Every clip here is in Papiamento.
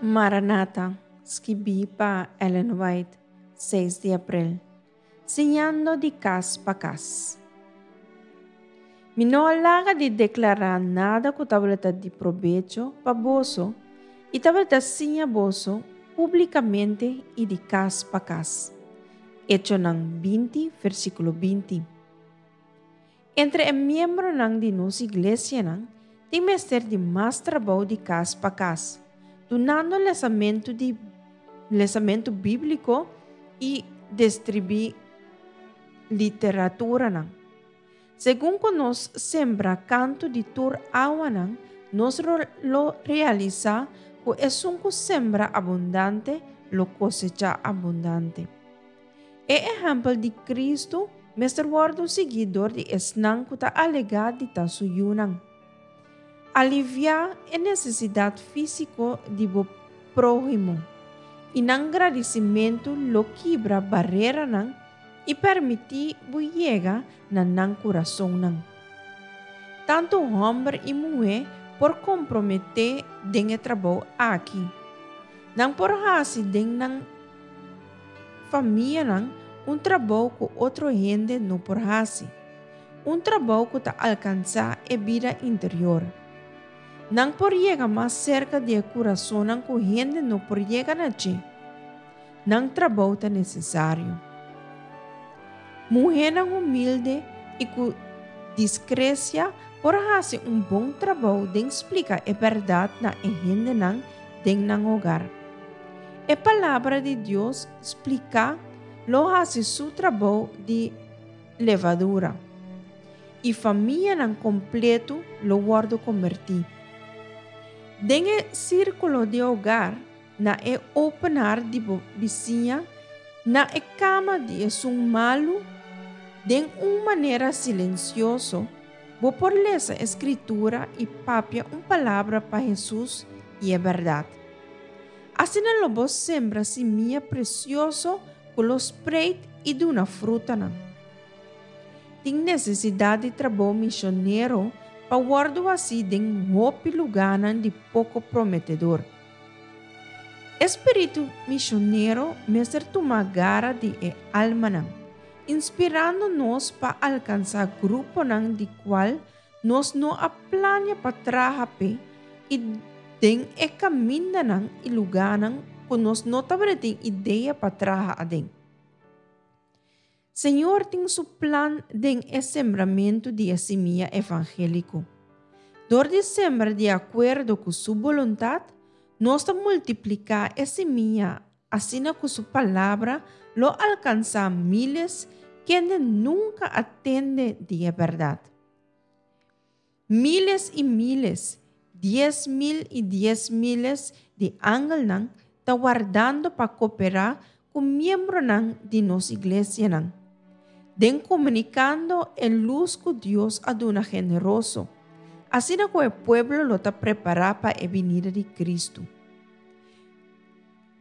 Maranata, skibí pa Ellen White, seis di aprel. Siñando di kas pa kas. Mi no a laga di deklará nada ku tabata di probecho pa boso i tabata siña boso públikamente i di kas pa kas. Echonan 20, versíkulo 20. Entre e miembronan di nos iglesianan tin mester di mas trabou di kas pa kas, dunando lesamentu di lesamentu bíbliko i distribuí literaturanan. Segun ku nos sembra kantu di tur awanan, nos lo realisá ku esun ku sembra abundante lo kosechá abundante. E ehèmpel di Kristu mester wòrdu siguí dor di esnan ku ta alegá di ta su yunan. Aliviá e nesesidat físiko di bo próhimo, i nan gradisimentu lo kibra bareranan i permití bo yega na nan kurasonnan. Tantu hòmber i muhé por komprometé den e trabou aki. Nan por hasi den nan famianan un trabou ku otro hende no por hasi, un trabou ku ta alkansá e bida interior. Nan por yega mas serka di e kurasonnan ku hende no por yega na dje. Nan trabou ta nesesario. Muhénan humilde i ku diskresia por hasi un bon trabou den splika e bèrdat na e hendenan den nan hogar. E Palabra di Dios spliká lo hasi su trabou di levadura, i famianan kompletu lo wòrdu kombertí. Den e sírkulo di hogar, na e openar di bo bisiña, na e kama di esun malu, den un manera silensioso, bo por lesa e Skritura i papia un palabra pa Hesus i e bèrdat. Asina lo bo sembra simia presioso ku lo spreit i duna frutanan. Tin nesesidat di trabou misionero pa wòrdu hasí den hopi lugánan di poko prometedor. E spiritu misionero mester tuma gara di e almanan, inspirando nos pa alkansá gruponan di kual nos no a plania pa traha p'e i den e kamindanan i lugánan ku nos no tabata tin idea pa traha aden. Señor tin su plan den e sembramentu di e simia evangéliko. Dor di sembra di akuerdo ku Su boluntat, nos ta multipliká e simia asina ku Su Palabra lo alkansá míles kende nunka a tende di e bèrdat. Míles i míles, 10,000 i diesmiles di angelnan ta wardando pa koperá ku miembronan di nos iglesianan, den komunikando e lus ku Dios a duna generoso, asina ku e pueblo lo ta prepará pa e binida di Kristu.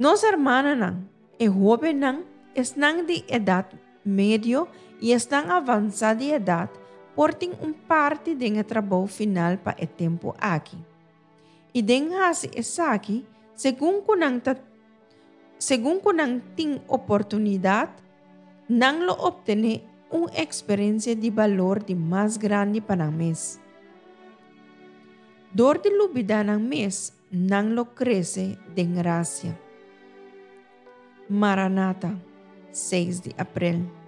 Nos hermananan, e hóbennan, esnan di edat medio i esnan avansá di edat por tin un parti den e trabou final pa e tempu aki. I den hasi esaki, segun ku nan ta segun ku nan tin oportunidat, nan lo optené un eksperensia di balor di mas grandi pa nan mes. Dor di lubidá nan mes, Nan lo krese den grasia. Maranata, seis di aprel.